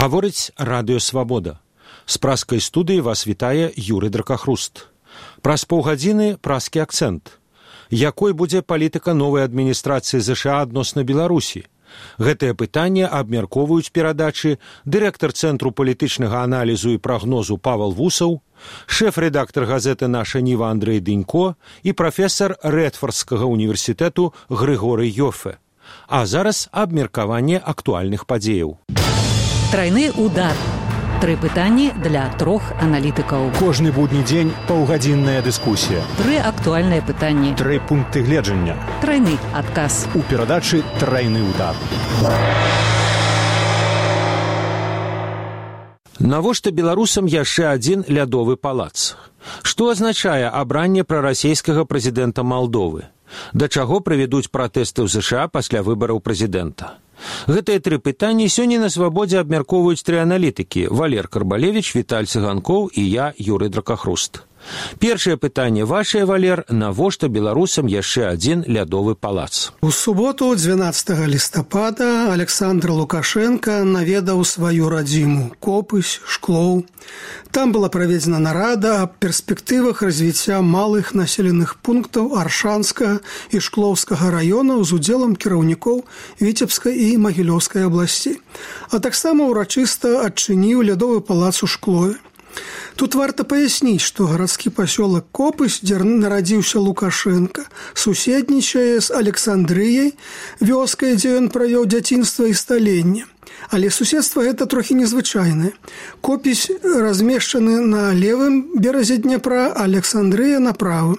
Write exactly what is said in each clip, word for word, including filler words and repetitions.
Гаворыць Радыё Свабода. З праскай студыі вас вітае Юрый Дракахруст. Праз паўгадзіны праскі акцэнт. Якой будзе палітыка новай адміністрацыі ЗША адносна Беларусі? Гэтае пытанне абмяркоўваюць перадачы дырэктар Цэнтру палітычнага аналізу і прагнозу Павел Вусаў, шэф-рэдактар газеты «Наша Ніва» Андрэй Дынько і прафесар Рэдфордскага універсітэту Грыгорый Йофэ. А зараз абмеркаванне актуальных падзеяў. Трайны удар. Тры пытанні для трох аналітыкаў. Кожны будні дзень паўгадзінная дыскусія. Тры актуальныя пытанні. Тры пункты гледжання. Трайны адказ. У перадачы «Трайны удар». Навошта беларусам яшчэ адзін лядовы палац? Што азначае абранне прарасійскага прэзідэнта Малдовы? Да чаго прывядуць пратэсты ў ЗША пасля выбараў прэзідэнта? Гэтыя тры пытанні сёння на свабодзе абмяркоўваюць тры аналітыкі: Валер Карбалевіч, Віталь Цыганкоў і я, Юрый Дракахруст. Першае пытанне вашае, Валер, навошта беларусам яшчэ адзін лядовы палац? У суботу, дванаццатага лістапада, Александр Лукашенко наведаў сваю радзіму Копысь, Шклоў. Там была праведзена нарада аб перспектывах развіцця малых населеных пунктаў Аршанскага і Шклоўскага раёнаў з удзелам кіраўнікоў Віцебскай і Магілёўскай абласцей, а таксама ўрачыста адчыніў лядовы палац у Шклове. Тут варта паясніць, што гарадскі пасёлак Копысь, дзе нарадзіўся Лукашенко, суседнічае з Александрыяй, вёскай, дзе ён правёў дзяцінства і сталенне. Але суседства гэта трохі незвычайнае. Копысь размешчаны на левым беразе Дняпра, а Александрыя на правым.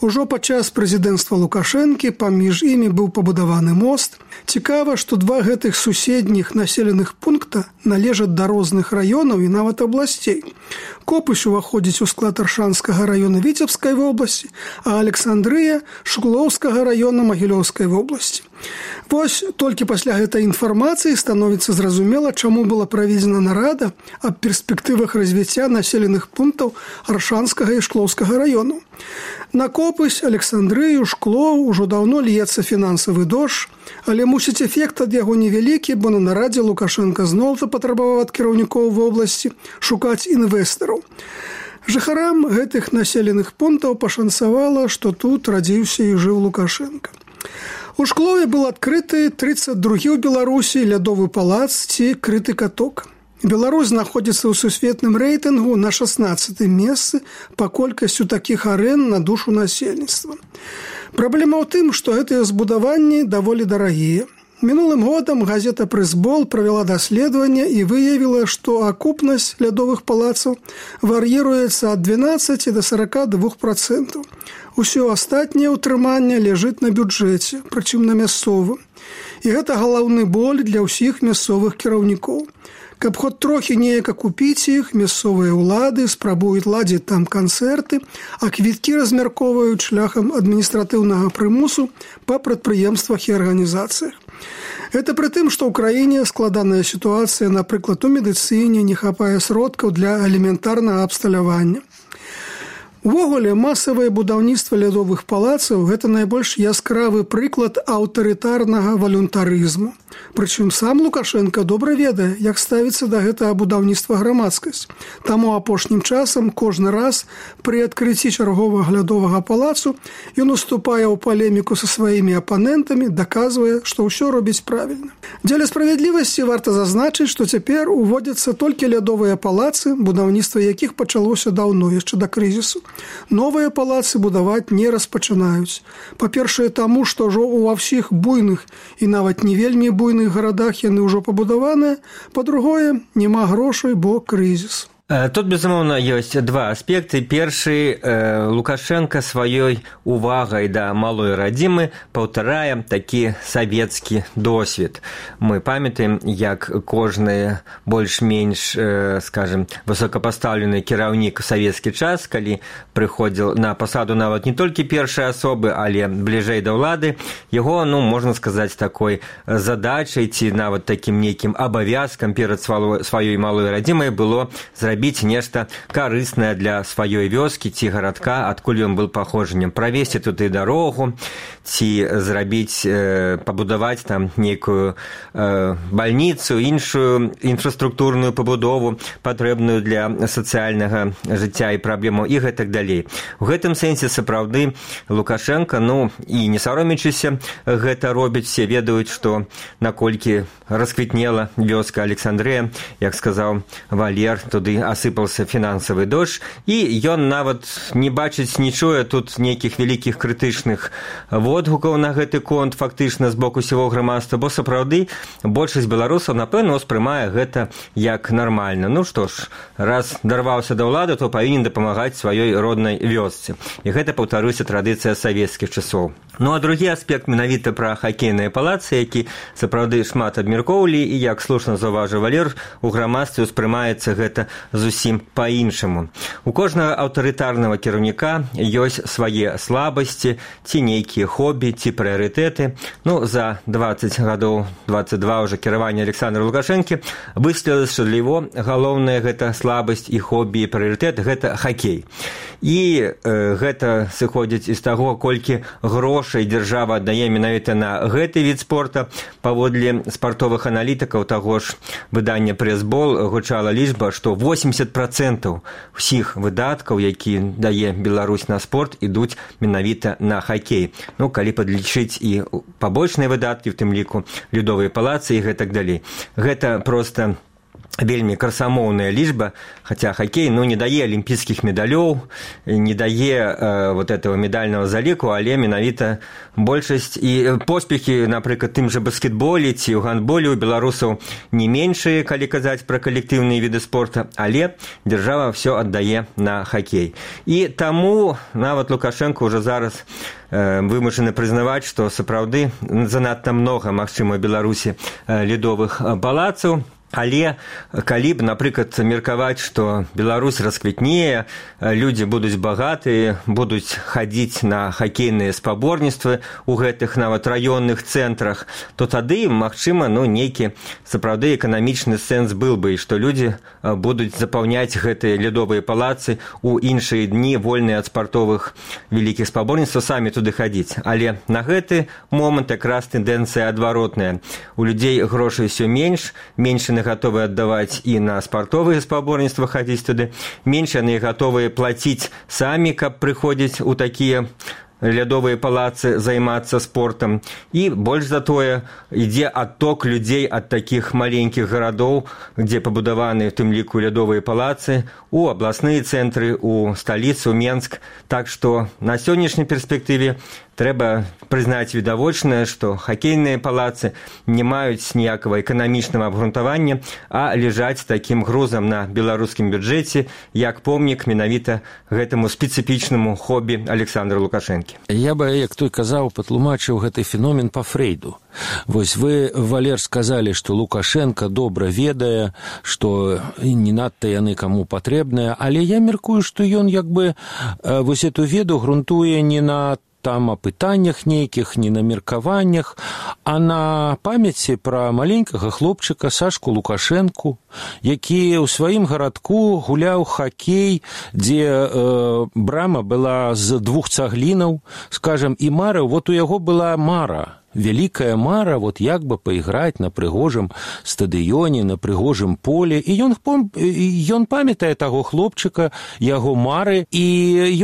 Ужо падчас прэзідэнцтва Лукашэнкі паміж імі быў пабудаваны мост. Цікава, што два гэтых суседніх населеных пункта належаць да розных раёнаў і нават абласцей. Копысь уваходзіць у склад Аршанскага раёна Віцебскай вобласці, а Александрыя – Шклоўскага раёна Магілёўскай вобласці. Вось толькі пасля гэтай інфармацыі становіцца зразумела, чаму была праведзена нарада аб перспектывах развіцця населеных пунктаў Аршанскага і Шклоўскага раёнаў. На Копысь, Александрыю, Шклоў ужо даўно льецца фінансавы дождж, але мусіць эфект ад яго невялікі, бо на нарадзе Лукашенко зноў запатрабаваў ад кіраўнікоў вобласці шукаць інвестараў. Жыхарам гэтых населеных пунктаў пашанцавала, што тут радзіўся і жыў Лукашенко. У Шклове быў адкрыты трыццаць другі ў Беларусі лядовы палац ці крыты каток. Беларусь знаходзіцца ў сусветным рэйтынгу на шаснаццатым месцы па колькасцю такіх арэн на душу насельніцтва. Праблема ў тым, што гэтыя збудаванні даволі дарагія. Мінулым годам газета «Прызбол» правяла даследаванне і выявіла, што акупнасць лядовых палацаў вар'іруецца ад дванаццаці да сарака двух працэнтаў. Усё астатняе ўтрыманне ляжыць на бюджэце, прычым на мясцовым. І гэта галоўны боль для ўсіх мясцовых кіраўнікоў. Каб хоць трохі неяк акупіць іх, мясцовыя ўлады спрабуюць ладзіць там канцэрты, а квіткі размяркоўваюць шляхам адміністратыўнага прымусу па прадпрыемствах і арганізацыях. Гэта пры тым, што ў краіне складаная сітуацыя, напрыклад, у медыцыне, не хапае сродкаў для элементарнага абсталявання. Увогуле, масавае будаўніцтва лядовых палацаў – гэта найбольш яскравы прыклад аўтарытарнага валюнтарызму. Прычым сам Лукашенко добра ведае, як ставіцца да гэтага будаўніцтва грамадскасць. Таму апошнім часам кожны раз пры адкрыцці чарговага лядовага палацу ён уступае ў палеміку са сваімі апанентамі, даказвае, што ўсё робіць правільна. Дзеля справядлівасці варта зазначыць, што цяпер уводзяцца толькі лядовыя палацы, будаўніцтва якіх пачалося даўно, яшчэ да крызісу. Новыя палацы будаваць не распачынаюць. Па-першае, таму, што ўжо ва ўсіх буйных і нават не вельмі буйных гарадах яны ўжо пабудаваныя. Па-другое, няма грошай, бо крызіс. Тут, безумоўна, ёсць два аспекты. Першы, Лукашенко сваёй увагай да малой радзімы паўтарае такі савецкі досвед. Мы памятаем, як кожны больш-менш, скажем, высокапастаўлены кіраўнік у савецкі час, калі прыходзіл на пасаду нават не толькі першай асобы, але бліжэй да ўлады, яго, ну, можна сказаць, такой задачай ці нават такім нейкім абавязкам перад сваёй малой радзімай было зрабіць зрабіць нешта карыснае для сваёй вёскі ці гарадка, адкуль ён был паходжаннем, правесці туды дарогу, ці зрабіць, э, пабудаваць там нейкую э, бальніцу, іншую інфраструктурную пабудову, патрэбную для сацыяльнага жыцця і праблему і гэтак далей. У гэтым сэнсе сапраўды Лукашенко, ну і не саромячыся, гэта робіць, все ведаюць, што наколькі расквітнела вёска Александрыя, як сказаў Валер, туды асыпаўся фінансавы дождж, і ён нават не бачыць, не чуе тут нейкіх вялікіх крытычных водгукаў на гэты конт фактычна з боку усяго грамадства, бо сапраўды большасць беларусаў, напэўна, успрымае гэта як нармальна. Ну што ж, раз дарваўся да ўлады, то павінен дапамагаць сваёй роднай вёсцы. І гэта, паўтаруся, традыцыя савецкіх часоў. Ну а другі аспект менавіта пра хакейныя палацы, які сапраўды шмат абмяркоўвалі, і, як слушна заўважыў Валер, у грамадстве ўспрымаецца гэта зусім па-іншаму. У кожнага аўтарытарнага кіраўніка ёсць свае слабасці, ці нейкія хобі, ці прыярытэты. Ну, за дваццаць гадоў, дваццаць два ўжо кіравання Александра Лукашэнкі высветлілася, што для яго галоўная гэта слабасць і хобі, і прыярытэт – гэта хакей. І э, гэта сыходзіць з таго, колькі грошай дзяржава аддае менавіта на гэты від спорта. Паводле спартовых аналітыкаў таго ж выдання «Прэсбол» гучала лічба, што восемьдесят процентов усіх выдаткаў, які дае Беларусь на спорт, ідуць менавіта на хакей. Ну, калі падлічыць і пабочныя выдаткі, в тым ліку лёдовыя палацы і гэтак далей. Гэта проста вельмі красамоўная лічба, хаця хакей, ну, не дае алімпійскіх медалёў, не дае э, вот этого медального заліку, але менавіта большасць і поспехі, напрыклад, тым жа баскетболе ці ў гандболе у беларусаў не меншыя, калі казаць пра калектыўныя віды спорта, але дзяржава ўсё аддае на хакей. І таму нават Лукашенко ўжо зараз э, вымушаны прызнаваць, што сапраўды занадта многа, магчыма, у Беларусі э, лёдовых палацаў. Але калі б, напрыклад, меркаваць, што Беларусь расквітнее, людзі будуць багатыя, будуць хадзіць на хакейныя спаборніцтвы ў гэтых нават раённых цэнтрах, то тады, магчыма, ну, нейкі сапраўды эканамічны сэнс был бы, і што людзі будуць запаўняць гэтыя лёдовыя палацы ў іншыя дні, вольныя ад спартовых вялікіх спаборніцтваў, самі туды хадзіць. Але на гэты момант якраз тэндэнцыя адваротная. У людзей грошай усё менш, менш яны гатовы аддаваць і на спартовыя спаборніцтвы хадзіць туды, менш яны гатовыя плаціць самі, каб прыходзіць у такія лёдовыя палацы займацца спортам. І больш за тое ідзе адток людзей ад такіх маленькіх гарадоў, дзе пабудаваны, в тым ліку, лёдовыя палацы, у абласныя цэнтры, у сталіцу, Менск. Так што на сённяшняй перспектыве трэба прызнаць відавочнае, што хакейныя палацы не маюць ніякага эканамічнага абгрунтавання, а ляжаць такім грузам на беларускім бюджэце, як помнік менавіта гэтаму спецыфічнаму хобі Александра Лукашэнкі. Я бы, як той казаў, патлумачыў гэты феномен па Фрейду. Вось вы, Валер, сказалі, што Лукашенко добра ведае, што не надта яны каму патрэбныя, але я меркую, што ён як бы вось эту веду грунтуе не на там о пытаннях нейкіх, не на меркаваннях, а на памяці пра маленькага хлопчыка Сашку Лукашэнку, які ў сваім гарадку гуляў хакей, дзе э, брама была з двух цаглінаў, скажем, і марыў, вот у яго была мара. Вялікая мара, вот як бы пайграць на прыгожым стадыёне, на прыгожым поле. І ён, ён памятае таго хлопчыка, яго мары, і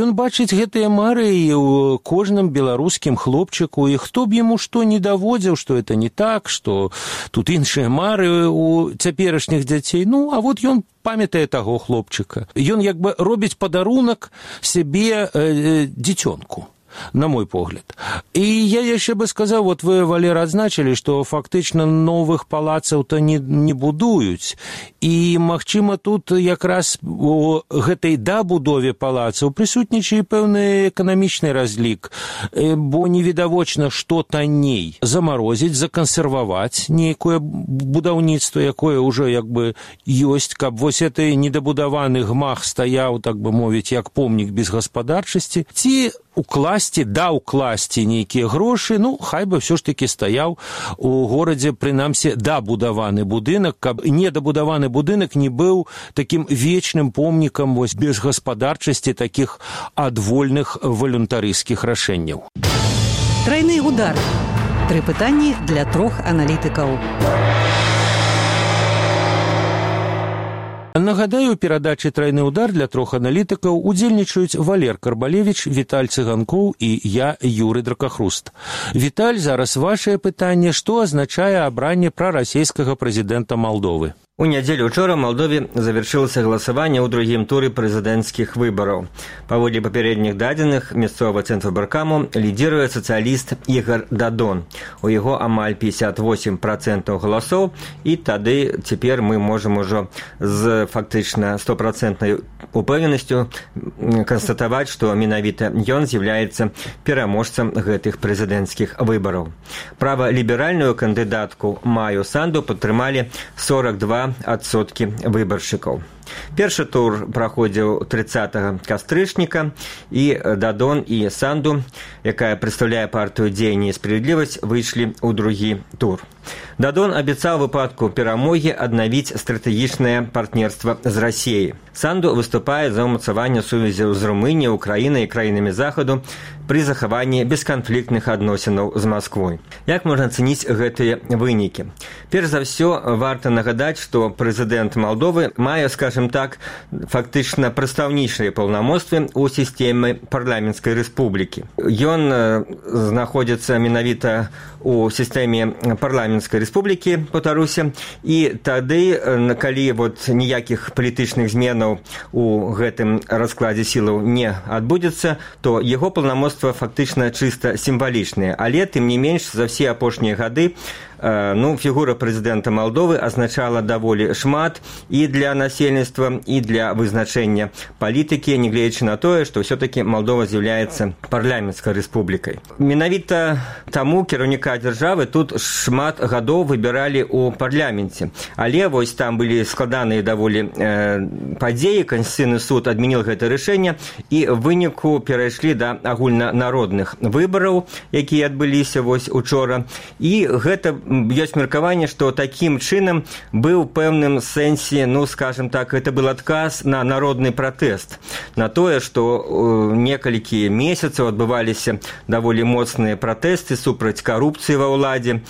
ён бачыць гэтыя мары і ў кожным беларускім хлопчыку, і хто б яму што не даводзіў, што это не так, што тут іншыя мары у цяперашніх дзяцей. Ну, а вот ён памятае таго хлопчыка. Ён як бы робіць падарунак сябе э, дзіцёнку, на мой погляд. І я яшчэ бы сказаў, вот вы, Валер, адзначылі, што фактычна новых палацаў-то не, не будуюць. І, магчыма, тут якраз у гэтай дабудове палацаў прысутнічае пэўны эканамічны разлік, бо невідавочна, што танней замарозіць, закансерваваць нейкае будаўніцтва, якое ўжо як бы ёсць, каб вось гэты недабудаваны гмах стаяў, так бы мовіць, як помнік без гаспадарчасці, ці укласці да укласці нейкія грошы, ну хай бы ўсё ж такі стаяў у горадзе прынамсі дабудаваны будынак, каб недабудаваны будынак не быў такім вечным помнікам вось безгаспадарчасці такіх адвольных валюнтарыйскіх рашэнняў. Трайны удар. Тры пытанні для трох аналітыкаў. Нагадаю, у перадачы «Трайны удар» для трох аналітыкаў удзельнічаюць Валер Карбалевіч, Віталь Цыганкоў і я, Юры Дракахруст. Віталь, зараз вашае пытанне, што азначае абранне прарасійскага прэзідэнта Малдовы? У нядзелю учора ў Малдове завяршылася галасаванне ў другім туры прэзідэнцкіх выбараў. Паводле папярэдніх дадзеных мясцовага цэнтрвыбаркаму лідзіруе сацыяліст Ігар Дадон. У яго амаль пятьдесят восемь процентов галасоў, і тады цяпер мы можам ужо з фактычна стопроцентнай упэўненасцю канстатаваць, што менавіта ён з'яўляецца пераможцам гэтых прэзідэнцкіх выбараў. Праваліберальную кандыдатку Маю Санду падтрымалі сорок два адсоткі выбаршчыкаў. Першы тур праходзіў трыццатага кастрычніка, і Дадон і Санду, якая прадстаўляе партыю «Дзеянне і справядлівасць», выйшлі ў другі тур. Дадон абяцаў выпадку перамогі аднавіць стратэгічнае партнерства з Расіяй. Санду выступае за ўмацаванне сувязяў з Румыніяй, Украінай і краінамі Захаду пры захаванні бесканфліктных адносінаў з Масквой. Як можна ацаніць гэтыя вынікі? Перш за ўсё, варта нагадаць, што прэзідэнт Малдовы мае, скажем так, фактычна прадстаўнічыя паўнамоцтвы ў сістэме парламенцкай рэспублікі. Ён знаходзіцца менавіта у сістэме парламенцкай рэспублікі, паўтаруся, і тады, калі вот ніякіх палітычных зменаў у гэтым раскладзе сілаў не адбудзецца, то яго паўнамоцтва фактычна чыста сімвалічныя, але тым не менш за ўсе апошнія гады ну, фігура прэзідэнта Малдовы азначала даволі шмат і для насельніцтва, і для вызначэння палітыкі, нягледзячы на тое, што ўсё-такі Малдова з'яўляецца парламенцкай рэспублікай. Менавіта таму кіраўніка дзяржавы тут шмат гадоў выбіралі ў парламенце. Але вось там былі складаныя даволі э, падзеі, Канстытуцыйны суд адмяніў гэта рашэнне, і ў выніку перайшлі да агульнанародных выбараў, якія адбыліся вось учора. І гэта ёсць меркаванне, што такім чынам быў пэўным сэнсе, ну, скажем так, это был адказ на народны пратэст, на тое, што некалькі месяцаў адбываліся даволі моцныя пратэсты супраць карупцыі ва ўладзе,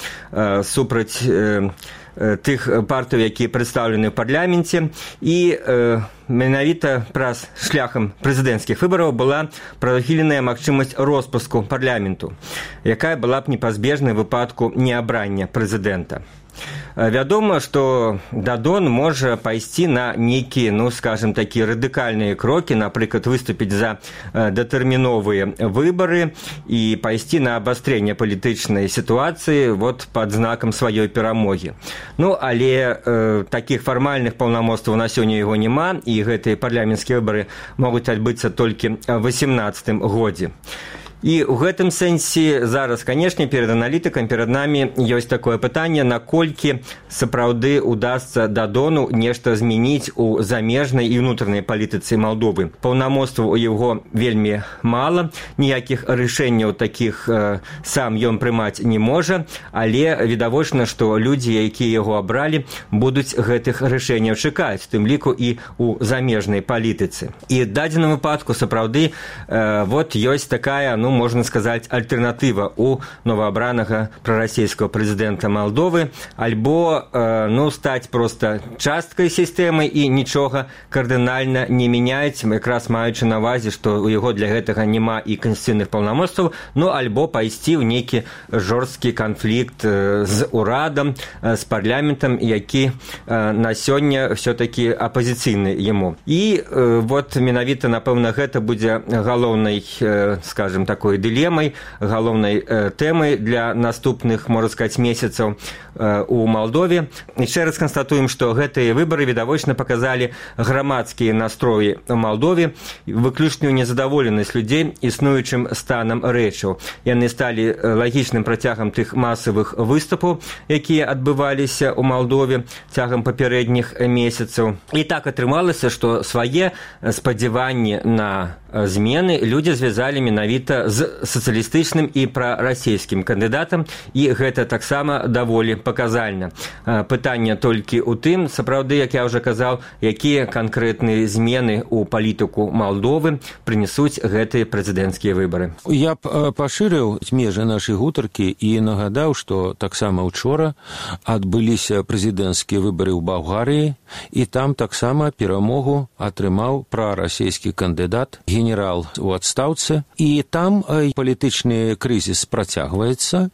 супраць тых партый, якія прадстаўлены ў парламенце, і менавіта праз шляхам прэзідэнцкіх выбараў была прадухіленая магчымасць роспуску парламенту, якая была б непазбежнай у выпадку неабрання прэзідэнта. Вядома, што Дадон можа пайсці на нейкія, ну, скажем, такія радыкальныя крокі, напрыклад, выступіць за датэрміновыя выбары і пайсці на абастрэнне палітычнай сітуацыі вот пад знакам сваёй перамогі. Ну, але э, такіх фармальных паўнамоцтваў на сёння яго няма, і гэтыя парламенцкія выбары могуць адбыцца толькі ў васемнаццатым годзе. І ў гэтым сэнсе зараз, канешне, перад аналітыкам, перад намі ёсць такое пытанне, наколькі сапраўды удасца Дадону нешта змяніць у замежнай і ўнутранай палітыцы Малдовы. Паўнамоцтваў у яго вельмі мала, ніякіх рашэнняў такіх э, сам ён прымаць не можа, але відавочна, што людзі, якія яго абралі, будуць гэтых рашэнняў чакаць, тым ліку і ў замежнай палітыцы. І ў дадзеным выпадку сапраўды э, вот ёсць такая, ну, можна сказаць, альтэрнатыва у новаабранага прарасійскага прэзідэнта Малдовы, альбо э, ну, стаць проста часткай сістэмы і нічога кардынальна не мяняць, якраз маючы на ўвазе, што у яго для гэтага няма і канстытуцыйных паўнамоцтваў, ну, альбо пайсці ў нейкі жорсткі канфлікт э, з урадам, э, з парламентам, які э, на сёння ўсё-такі апазіцыйны яму. І э, вот менавіта, напэўна, гэта будзе галоўнай, э, скажем, такой дылемай, галоўнай э, тэмай для наступных, можна сказаць, месяцаў э, у Малдове. Яшчэ раз канстатуем, што гэтыя выбары відавочна паказалі грамадскія настроі ў Малдове, выключную незадаволенасць людзей існуючым станам рэчаў. Яны сталі лагічным працягам тых масавых выступаў, якія адбываліся ў Малдове цягам папярэдніх месяцаў. І так атрымалася, што свае спадзяванні на змены людзі звязалі менавіта з сацыялістычным і прарасійскім кандыдатам, і гэта таксама даволі паказальна. Пытанне толькі ў тым, сапраўды, як я ўжо казаў, якія канкрэтныя змены ў палітыку Малдовы прынесуць гэтыя прэзідэнцкія выбары. Я б пашырыў межы нашай гутаркі і нагадаў, што таксама учора адбыліся прэзідэнцкія выбары ў Балгарыі, і там таксама перамогу атрымаў прарасійскі кандыдат, генерал у адстаўцы, і там палітычны крызіс працягваецца.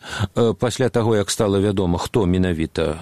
Пасля таго, як стала вядома, хто менавіта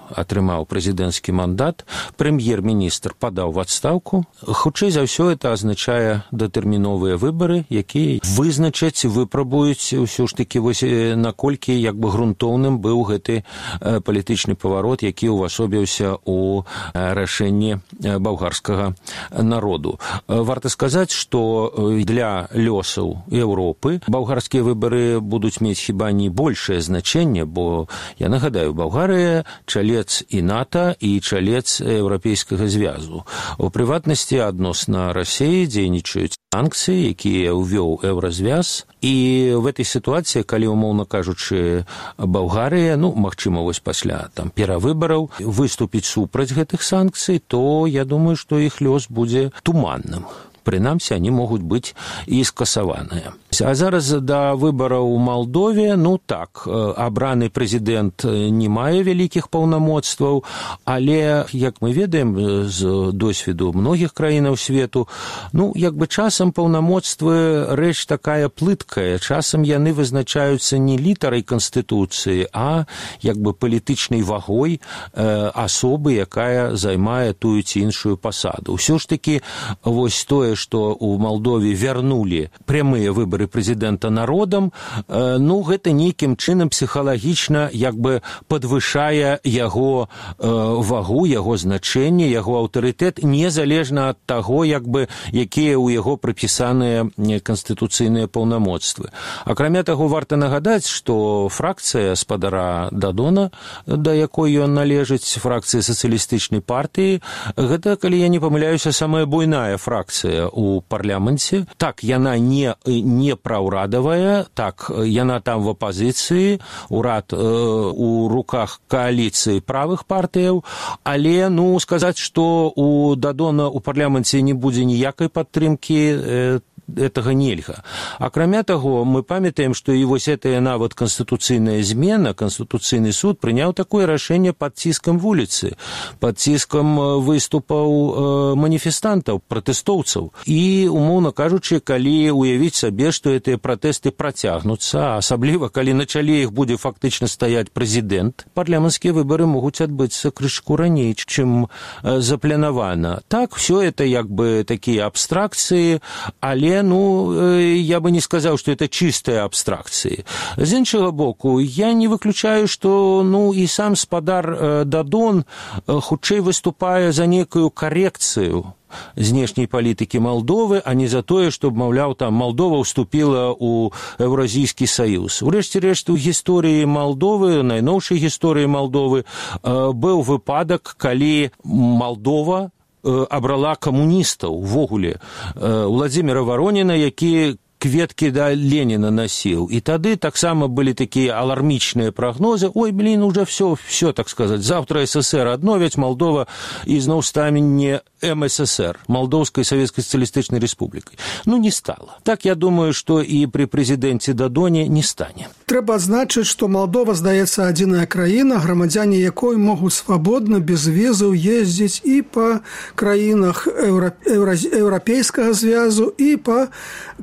атрымаў прэзідэнцкі мандат, прэм'ер-міністр падаў в адстаўку. Хутчэй за ўсё это азначае датэрміновыя выбары, якія вызначаць, выпрабуюць ўсё ж такі вось наколькі як бы грунтоўным быў гэты палітычны паварот, які ўвасобіўся ў рашэнні балгарскага народу. Варта сказаць, што для лёсаў Еўропы балгарскія выбары будуць мець хіба не большае значэнне, бо я нагадаю, Балгарыя чалец і НАТО, і чалец Еўрапейскага звязу. У прыватнасці адносна Расіі дзейнічаюць санкцыі, якія ўвёў Еўразвяз, і в этой сітуацыі, калі, умоўна кажучы, Балгарыя, ну, магчыма, вось пасля там перавыбараў выступіць супраць гэтых санкцый, то я думаю, што іх лёс будзе туманным. Прынамсі, они могуць быць і скасаваныя. А зараз да выбараў у Малдове, ну так, абраны прэзідэнт не мае вялікіх паўнамоцтваў, але, як мы ведаем з досведу многіх краінаў свету, ну, як бы часам паўнамоцтвы рэч такая плыткая, часам яны вызначаюцца не літарай Канстытуцыі, а як бы палітычнай вагой э, асобы, якая займае тую ці іншую пасаду. Усё ж такі, вось тое, што ў Малдове вярнулі прямыя выбары прэзідэнта народам, ну, гэта нейкім чынам псіхалагічна як бы падвышае яго вагу, яго значэнне, яго аўтарытэт, незалежна ад таго, як бы, якія ў яго прыпісаныя канстытуцыйныя паўнамоцтвы. Акрамя таго, варта нагадаць, што фракцыя спадара Дадона, да якой ён належыць, фракцыя сацыялістычнай партыі, гэта, калі я не памыляюся, самая буйная фракцыя у парламенце. Так, яна не, не праўрадавая, так, яна там в апазіцыі, урад э, у руках кааліцыі правых партыяў, але, ну, сказаць, што у Дадона у парламенце не будзе ніякай падтрымкі, э, этого нельга. Акрамя таго, мы памятаем, што і вось гэтая нават канстытуцыйная змена, Канстытуцыйны суд прыняў такое рашэнне пад ціскам вуліцы, пад ціскам выступаў маніфестантаў, пратэстоўцаў. І, умоўна кажучы, калі уявіць сабе, што гэтыя пратэсты працягнуцца, асабліва, калі на чале іх будзе фактычна стаяць прэзідэнт, парламенцкія выбары могуць адбыцца крышку раней, чым запланавана. Так, все это як бы такія абстракцыі, але ну, я бы не сказаў, што это чыстыя абстракцыі. З іншага боку, я не выключаю, што ну, і сам спадар Дадон хутчэй выступае за некую карекцыю знешняй палітыкі Малдовы, а не за тое, што, маўляў, там Малдова ўступіла ў Еўразійскі саюз. Урэшце рэшт, у гісторыі Малдовы, найноўшай гісторыі Малдовы, быў выпадак, калі Малдова абрала камуністаў увогуле, Владзіміра Вароніна, які кветкі да Леніна насіў. І тады таксама былі такія алармічныя прагнозы. Ой, блин, уже все, все, так сказать, завтра СССР адновяць, Малдова ізноў стане не эм эс эс эр, Малдоўскай Савецкай Сацыялістычнай Рэспублікай. Ну, не стала. Так, я думаю, што і пры прэзідэнце Дадоне не стане. Трэба адзначыць, што Малдова, здаецца, адзіная краіна, грамадзяне якой могуць свабодна, без візаў ездзіць і па краінах Еўра... Еўра... Еўрапейскага звязу, і па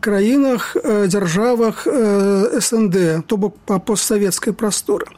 краінах, дзяржавах эс эн дэ, то бок па постсавецкай прасторы.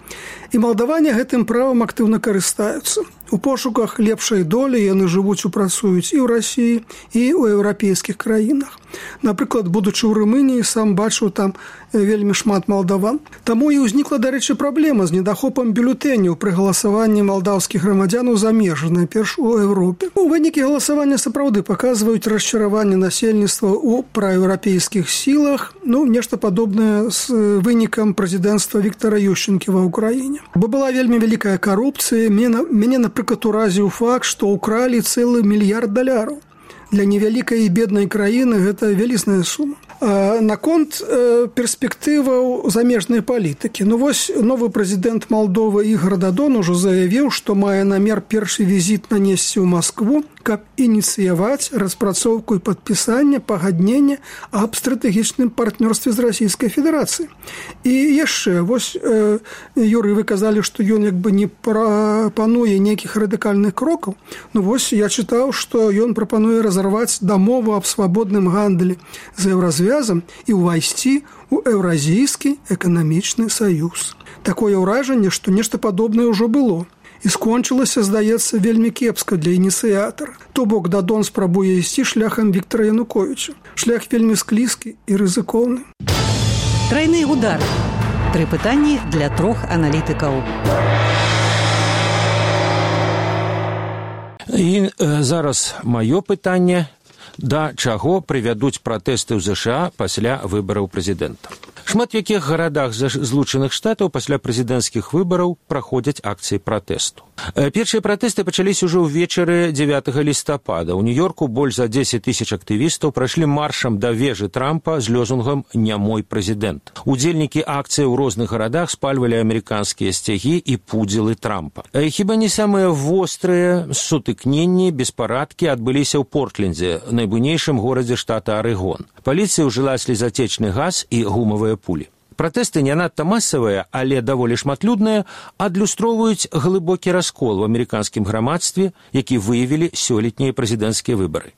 І малдаване гэтым правам актыўна карыстаюцца. У пошуках лепшай долі яны жывуць і працуюць і ў Расіі, і ў еўрапейскіх краінах. Напрыклад, будучы ў Румыніі, сам бачыў там вельмі шмат малдаван. Таму і ўзнікла, дарэчы, праблема з недахопам бюлетэняў пры галасаванні малдаўскіх грамадзянаў за межы, найперш у Еўропе. У вынікі галасавання сапраўды паказваюць расчараванне насельніцтва ў праеўрапейскіх сілах, ну, нешта падобнае з вынікам прэзідэнцтва Віктара Ющэнкі ва Ўкраіне. Бо была вельмі вялікая карупцыя, мяне, напрыклад, уразіў факт, што ўкралі цэлы мільярд даляраў. Для невялікай і беднай краіны гэта вялізная сума. Наконт перспектываў замежнай палітыкі. Ну вось новы прэзідэнт Малдовы Ігор Дадон ужо заявіў, што мае намер першы візіт нанесці ў Маскву, каб ініцыяваць распрацоўку і падпісанне пагаднення аб стратэгічным партнёрстве з Расійскай Федэрацыяй. І яшчэ, вось, э, Юрый, вы казалі, што ён як бы не прапануе нейкіх радыкальных крокаў. Ну вось, я чытаў, што ён прапануе разарваць дамову аб свабодным гандлі з Еўразвязам і ўвайсці ў Еўразійскі эканамічны саюз. Такое ўражанне, што нешта падобнае ўжо было. І скончылася, здаецца, вельмі кепска для ініцыятара. То бок Дадон спрабуе ісці шляхам Віктара Януковіча. Шлях вельмі склізкі і рызыкоўны. Трайны удар. Тры пытанні для трох аналітыкаў. І э, зараз маё пытанне, да чаго прывядуць пратэсты ў ЗША пасля выбараў прэзідэнта. Шмат в якіх гарадах Злучаных Штатаў пасля прэзідэнцкіх выбараў праходзяць акцыі пратэсту. Першыя пратэсты пачаліся ўжо ўвечары дзевятага лістапада. У Нью-Йорку больш за дзесяць тысяч актывістаў прайшлі маршам да вежы Трампа з лёзунгам «Не мой прэзідэнт». Удзельнікі акцыі ў розных гарадах спальвалі амерыканскія сцягі і пудзілы Трампа. Хіба не самыя вострыя сутыкненні, беспарадкі адбыліся ў Портлендзе, найбуйнейшым горадзе штата Арэгон. Паліцыя ўжыла слезатечны газ і гумавыя пулі. Пратэсты не надта масавыя, але даволі шматлюдныя, адлюстроўваюць глыбокі раскол у амерыканскім грамадстве, які выявілі сёлетнія прэзідэнцкія выбары.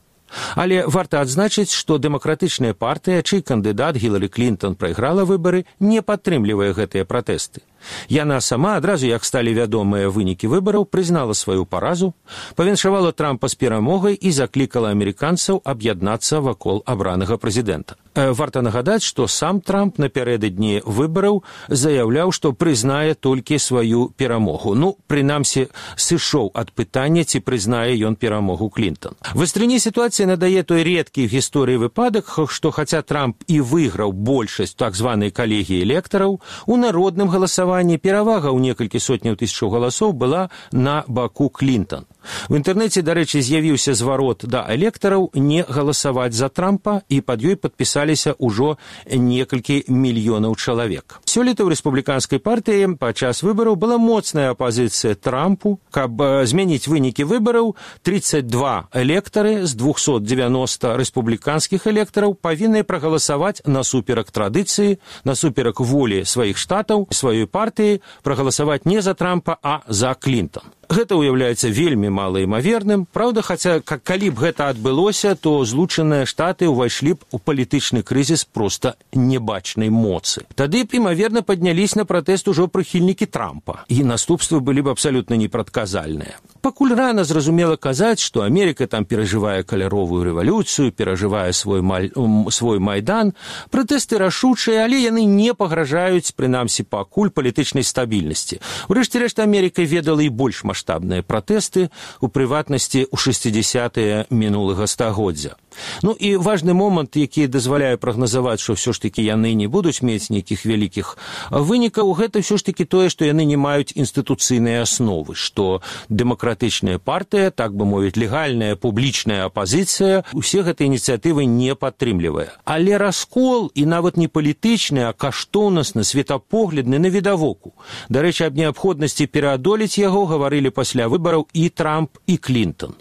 Але варта адзначыць, што дэмакратычная партыя, чый кандыдат Гілары Клінтон прайграла выбары, не падтрымлівае гэтыя пратэсты. Яна сама, адразу як сталі вядомыя вынікі выбараў, прызнала сваю паразу, павіншавала Трампа з перамогай і заклікала амерыканцаў аб'яднацца вакол абранага прэзідэнта. Варта нагадаць, што сам Трамп напярэдадні выбараў заяўляў, што прызнае толькі сваю перамогу. Ну, прынамсі, сышоў ад пытання, ці прызнае ён перамогу Клінтон. Вастрыні сітуацыі надае той рэдкі ў гісторыі выпадак, што хаця Трамп і выйграў большасць так званай калегіі электараў, у народным галасаванні перавага ў некалькі сотняў тысячаў галасоў была на баку Клінтон. В інтэрнэце, дарэчы, з'явіўся зварот да электараў не галасаваць за Трампа, і пад ёй падпісаліся ўжо некалькі мільёнаў чалавек. Сёлета ў рэспубліканскай партыі падчас выбараў была моцная апазіцыя Трампу. Каб змяніць вынікі выбараў, тридцать два электары з двухсот девяноста рэспубліканскіх электараў павінны прагаласаваць насуперак традыцыі, насуперак волі сваіх штатаў, сваёй партыі, прагаласаваць не за Трампа, а за Клінтон. Гэта ўяўляецца вельмі малаімаверным. Праўда, хаця, калі б гэта адбылося, то Злучаныя Штаты ўвайшлі б у палітычны крызіс проста небачнай моцы. Тады б, імаверна, паднялись на пратэст ужо прыхільнікі Трампа, і наступствы былі б абсалютна непрадказальныя. Пакуль рана зразумела казаць, што Амерыка там перажывае каляровую рэвалюцыю, перажывае свой, маль... свой майдан, пратэсты рашучыя, але яны не пагражаюць, прынамсі, пакуль палітычнай стабільнасці. Урэшце рэшт, Амерыка ведала і больш масштаб маштабныя пратэсты, у прыватнасці ў шэсцідзесятыя мінулага стагоддзя. Ну і важны момант, які дазваляе прагназаваць, што ўсё ж такі яны не будуць мець нейкіх вялікіх вынікаў, гэта ўсё ж такі тое, што яны не маюць інстытуцыйнай асновы, што дэмакратычная партыя, так бы мовіць, легальная публічная апазіцыя, усе гэтыя ініцыятывы не падтрымлівае. Але раскол, і нават не палітычны, а каштоўнасны, светапоглядны навідавоку. Дарэчы, аб неабходнасці пераадолець яго гаварылі пасля выбараў і Трамп, і Клінтон.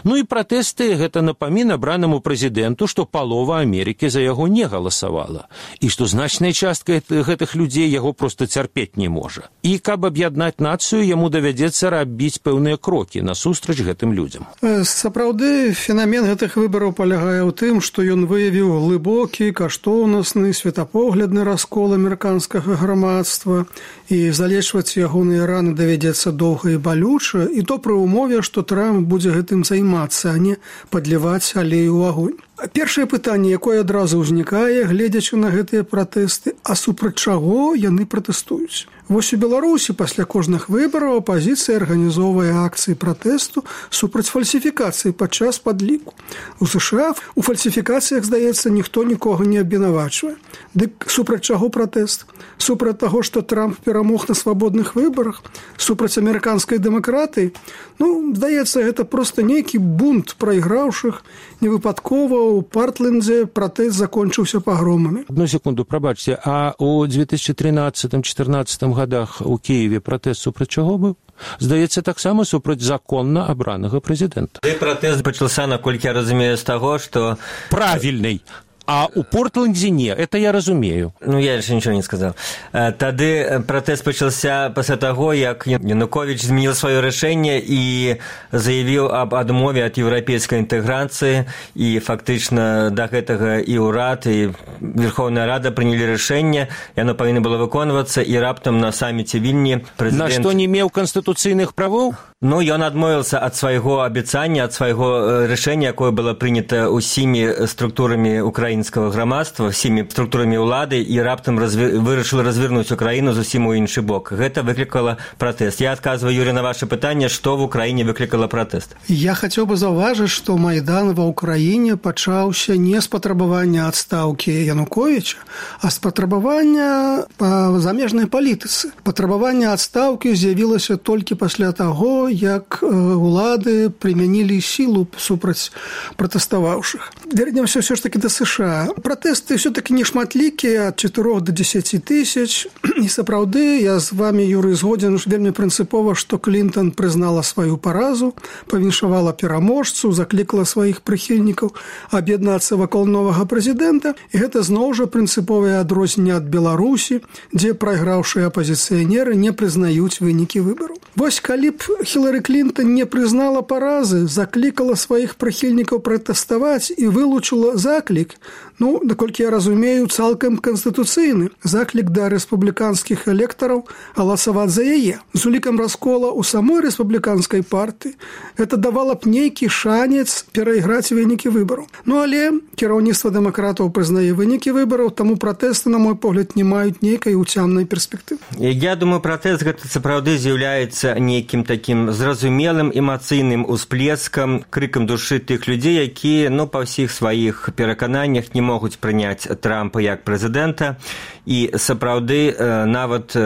Ну і пратэсты гэта напамін абранаму прэзідэнту, што палова Амерыкі за яго не галасавала, і што значная частка гэтых людзей яго проста цярпець не можа. І каб аб'яднаць нацыю, яму давядзецца рабіць пэўныя крокі насустрач гэтым людзям. Сапраўды, фенамен гэтых выбараў палягае ў тым, што ён выявіў глыбокі, каштоўнасны, светапоглядны раскол амерыканскага грамадства, і залечваць ягоныя раны давядзецца доўга і балюча, і то пры ўмове, што Трамп будзе гэтым займацца, а не падліваць алею ў агонь. Першае пытанне, якое адразу ўзнікае, гледзячы на гэтыя пратэсты, а супраць чаго яны пратэстуюць. Вось у Беларусі пасля кожных выбараў апазіцыя арганізоўвае акцыі пратэсту супраць фальсіфікацыі падчас падліку. У США у фальсіфікацыях, здаецца, ніхто нікога не абвінавачвае. Дык супраць чаго пратэст? Супраць таго, што Трамп перамог на свабодных выбарах? Супраць амерыканскай дэмакратыі? Ну, здаецца, гэта проста нейкі бунт прайграўшых. Невыпадкова у Партлендзе пратэст закончыўся пагромамі. Одну секунду, прабачце, а у две тысячи тринадцатым-чатырнаццатым годах у Киеве пратэст супраць чаго быў? Здаецца, таксама супраць законна абранага прэзідэнта. І пратэст пачаўся, наколькі я разумею, з таго, што... Правільнай! А у Портлендзе не, это я разумею. Ну, я яшчэ нічого не сказаў. Тады пратэст пачаўся пасля таго, як Януковіч змяніў сваё рашэнне і заявіў аб адмове ад еўрапейскай інтэграцыі, і фактычна да гэтага і ўрад, і Верховная Рада прынялі рашэнне, яно павінна было выконвацца, і раптам на саміце Вільні прэзідэнт... На што не меў канстытуцыйных правоў? Ну, ён адмовіўся ад свайго абяцання, ад свайго рашэння, якое было прынята ўсімі структурамі украінскага грамадства, всімі структурамі ўлады, і раптам разве... вырашыў развернуць Украіну зусім у іншы бок. Гэта выклікала пратэст. Я адказваю, Юрий, на ваше пытанне, што в Украіне выклікала пратэст. Я хацеў бы заўважыць, што Майдан ва Ўкраіне пачаўся не з патрабавання адстаўкі Януковіча, а з патрабавання па замежнай палітыцы. Патрабаванне адстаўкі з'явілася толькі пасля таго, як улады прымянілі сілу супраць пратэставаўшых. Вернемся ўсё ж таки да США. Пратэсты ўсё-таки не шматлікія, ад чатырох до дзесяці тысяч. І сапраўды, я з вами, Юрый, згодзін вельмі прынцыпова, што Клінтон прызнала сваю паразу, павіншавала пераможцу, заклікала сваіх прыхільнікаў аб'яднацца вакол новага прэзідэнта. І гэта зноў жа прынцыповае адрозненне ад Беларусі, дзе прайграўшыя апазіцыянеры не прызнаюць вынікі выбараў. Вось калі б Хілары Клінтон не прызнала паразы, заклікала сваіх прыхільнікаў пратэставаць і вылучыла заклік, ну, наколькі я разумею, цалкам канстытуцыйны заклік да рэспубліканскіх электараў галасаваць за яе. З улікам раскола ў самой рэспубліканскай партыі гэта давала б нейкі шанец перайграць вынікі выбараў. Ну, але кіраўніцтва дэмакратаў прызнае вынікі выбараў, таму пратэсты, на мой погляд, не маюць нейкай уцямнай перспектывы. Я думаю, пратэст гэта сапраўды з'яўляецца нейкім такім зразумелым эмацыйным усплескам, крыкам душы тых людзей, якія, ну, па ўсіх сваіх перакананнях не могуць прыняць Трампа як прэзідэнта, і сапраўды нават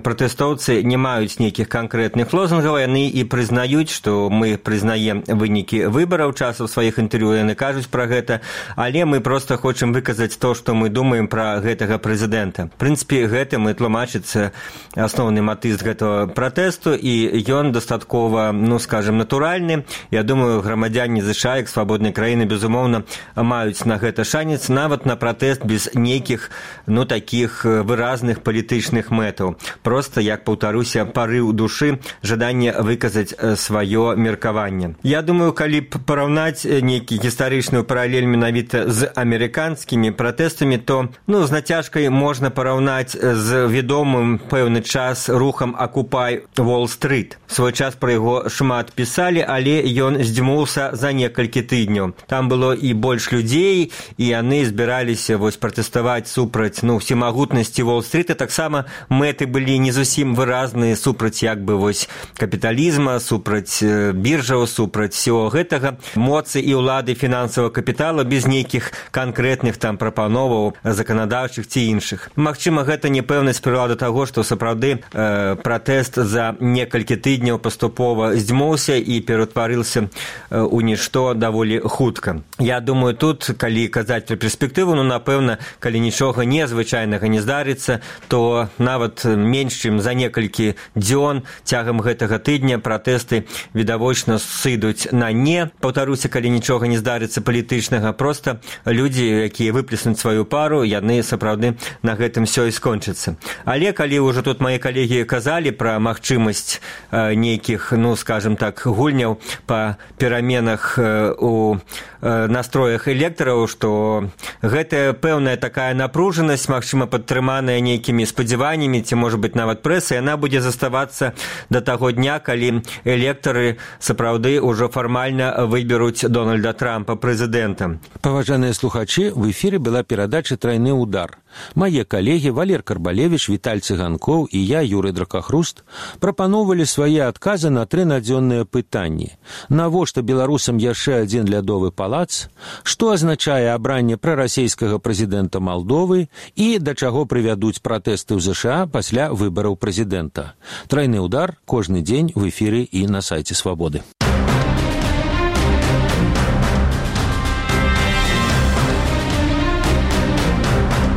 пратэстоўцы не маюць нейкіх канкрэтных лозунгаў, яны і прызнаюць, што мы прызнаем вынікі выбараў, часу сваіх інтэрв'ю яны кажуць пра гэта, але мы проста хочам выказаць то, што мы думаем пра гэтага прэзідэнта. В прынцыпе, гэтым і тлумачыцца асноўны матыв гэтага пратэсту, і ён дастаткова, ну, скажем, натуральны. Я думаю, грамадзяне США, як свабоднай краіны, безумоўна, маюць на гэта шанец, нават на пратэст без нейкіх, ну, такіх выразных палітычных мэтаў. Проста, як паўтаруся, парыў душы, жаданне выказаць сваё меркаванне. Я думаю, калі б параўнаць нейкі гістарычную паралель менавіта з амерыканскімі пратэстамі, то, ну, з нацяжкай можна параўнаць з вядомым пэўны час рухам Акупай Уолл-стрыт. Свой час пра яго шмат пісалі, але ён здзьмуўся за некалькі тыдняў. Там было і больш людзей, і яны збіраліся вось пратэставаць супраць, ну, всемагутнасці Уолл-стрыта. Таксама мэты былі не зусім выразныя супраць як бы вось капіталізма, супраць біржаў, супраць всего гэтага, моцы і ўлады фінансавага капітала без нейкіх канкрэтных там прапановаў заканадаўчых ці іншых. Магчыма, гэта непэўнасць прывяла да таго, што сапраўды э, пратэст за некалькі тыдняў паступова здзьмуўся і ператварыўся у нішто даволі хутка. Я думаю, тут, калі казаць пра перспектыву, ну, напэўна, калі нічога незвычайнага не здарыцца, то нават менш чым за некалькі дзён цягам гэтага тыдня пратэсты відавочна сыдуць на не. Паўтаруся, калі нічога не здарыцца палітычнага, проста людзі, якія выплеснуць сваю пару, яны сапраўды на гэтым всё і скончыцца. Але калі ўжо тут мае калегі казалі пра магчымасць э, нейкіх, ну, скажем так, гульняў па пераменах э, у э, настроях электараў, што што гэта пэўная такая напружанасць, магчыма, падтрыманая нейкімі спадзяваннямі, ці, можа быць, нават прэсай, яна будзе заставацца да таго дня, калі электары сапраўды ўжо фармальна выберуць Дональда Трампа прэзідэнтам. Паважаныя слухачы, в эфіры была перадача «Трайны удар». Мае калегі Валер Карбалевіч, Віталь Цыганкоў і я, Юрый Дракахруст, прапаноўвалі свае адказы на тры надзённыя пытанні. Навошта беларусам яшчэ адзін лядовы палац? Што азначае абранне прарасейскага прэзідэнта Малдовы і да чаго прывядуць пратэсты ў ЗША пасля выбараў прэзідэнта? «Трайны удар» кожны дзень в эфіры і на сайце Свабоды.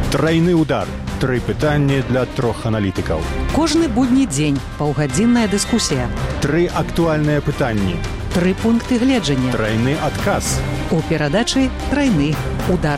Трайны удар. Тры пытанні для трох аналітыкаў. Кожны будні дзень паўгадзінная дыскусія. Тры актуальныя пытанні. Тры пункты гледжання. Трайны адказ. У перадачы «Трайны удар».